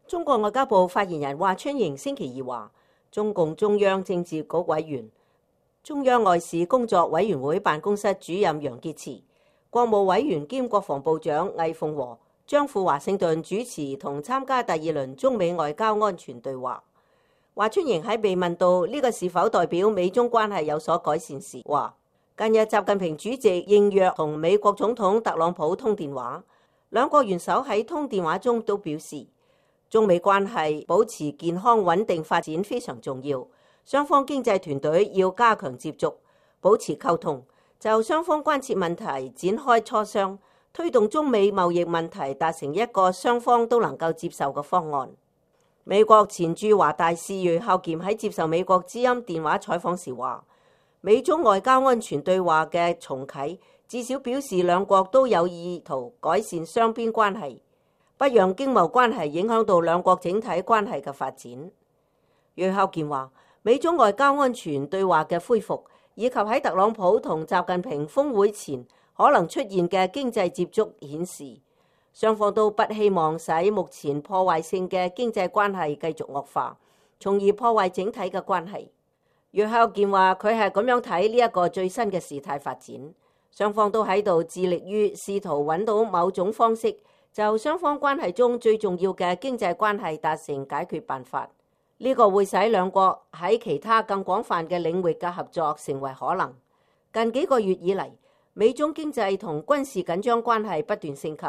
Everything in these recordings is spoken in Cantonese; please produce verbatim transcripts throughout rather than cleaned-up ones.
中國外交部發言人華春瑩星期二話，中共中央政治局委員、中央外事工作委員會辦公室主任楊潔篪、國務委員兼國防部長魏鳳和將赴華盛頓主持同參加第二輪中美外交安全對話。華春瑩喺被問到呢個是否代表美中關係有所改善時，話近日習近平主席應約同美國總統特朗普通電話，兩國元首喺通電話中都表示，中美關係保持健康穩定發展非常重要，雙方經濟團隊要加強接觸，保持溝通，就雙方關切問題展開磋商，推動中美貿易問題達成一個雙方都能夠接受嘅方案。美國前駐華大使芮孝儉喺接受美國之音電話採訪時話，美中外交安全對話嘅重啟，至少表示兩國都有意圖改善雙邊關係，不讓經貿關係影響到兩國整體關係嘅發展。芮孝儉話，美中外交安全對話嘅恢復，以及喺特朗普同習近平峰會前可能出現嘅經濟接觸顯示，雙方都不希望使目前破壞性嘅經濟關係繼續惡化，從而破壞整體嘅關係。芮孝儉話，佢係咁樣睇呢一個最新嘅事態發展，雙方都喺度致力於試圖揾到某種方式，就雙方關係中最重要嘅經濟關係達成解決辦法。呢個會使兩國喺其他更廣泛嘅領域嘅合作成為可能。近幾個月以嚟，美中經濟同軍事緊張關係不斷升級。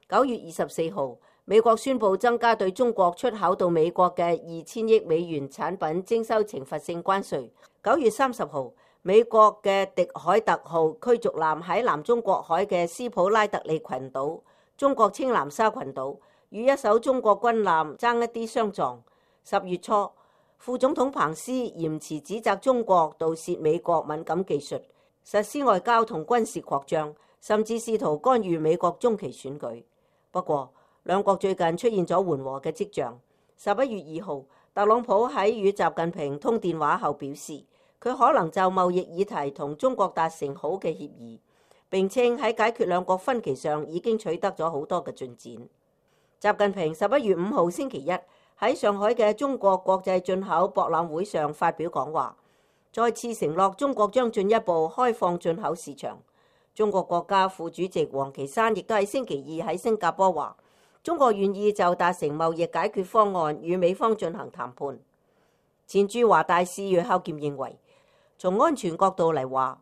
九月二十四號，美國宣布增加對中國出口到美國嘅二千億美元產品徵收懲罰性關稅。九月三十號，美國嘅迪海特號驅逐艦喺南中國海嘅斯普拉特利群島、中國青南沙群島與一艘中國軍艦爭一啲相撞。十月初，副總統彭斯嚴詞指責中國盜竊美國敏感技術，實施外交同軍事擴張，甚至試圖干預美國中期選舉。不過，兩國最近出現咗緩和嘅跡象。十一月二號，特朗普喺與習近平通電話後表示，佢可能就貿易議題同中國達成好嘅協議，並稱喺解決兩國分歧上已經取得咗好多嘅進展。習近平十一月五號星期一喺上海嘅中國國際進口博覽會上發表講話，再次承諾中國將進一步開放進口市場。中國國家副主席王岐山亦都喺星期二喺新加坡話，中國願意就達成貿易解決方案與美方進行談判。前駐華大使芮孝儉認為，從安全角度嚟話，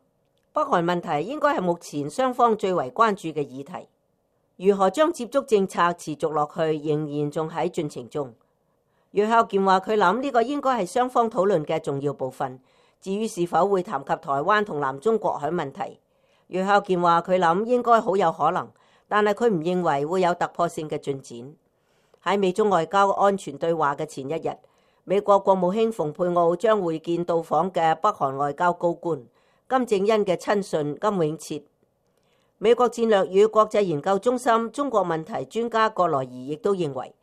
北韓問題應該係目前雙方最為關注嘅議題。如何將接觸政策持續落去，仍然仲喺進程中。芮孝儉話，佢諗呢個應該係雙方討論嘅重要部分。至於是否會談及台灣同南中國海問題，芮孝儉話佢諗應該好有可能，但係佢唔認為會有突破性嘅進展。喺美中外交安全對話嘅前一日，美國國務卿蓬佩奧將會見到訪嘅北韓外交高官金正恩嘅親信金永徹。美國戰略與國際研究中心中國問題專家葛來儀亦都認為，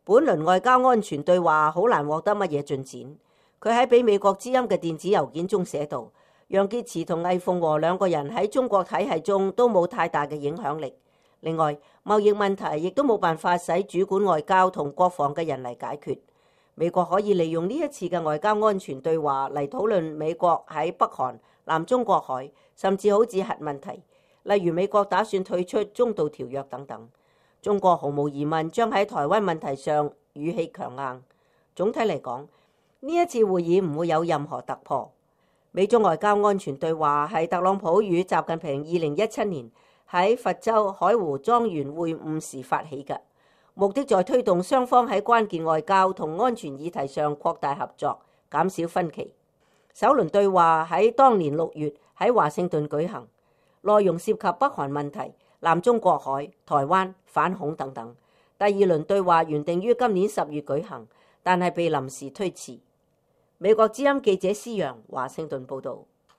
本輪外交安全對話好難獲得乜嘢進展。佢喺俾美國之音嘅電子郵件中寫道，楊潔篪同魏鳳和兩個人喺中國體系中都冇太大嘅影響力。另外，貿易問題亦都冇辦法使主管外交同國防嘅人嚟解決。美國可以利用呢一次嘅外交安全對話嚟討論美國喺北韓、南中國海，甚至好似核問題，例如美國打算退出中導條約等等。中國毫無疑問將喺台灣問題上語氣強硬。總體嚟講，呢一次會議唔會有任何突破。美中外交安全對話係特朗普與習近平二零一七年喺佛州海湖莊園會晤時發起嘅，目的在推動雙方喺關鍵外交同安全議題上擴大合作，減少分歧。首輪對話喺當年六月喺華盛頓舉行，內容涉及北韓問題、南中國海、台灣、反恐等等。第二輪對話原定於今年十月舉行，但係被臨時推遲。美國之音記者施洋華盛頓報導。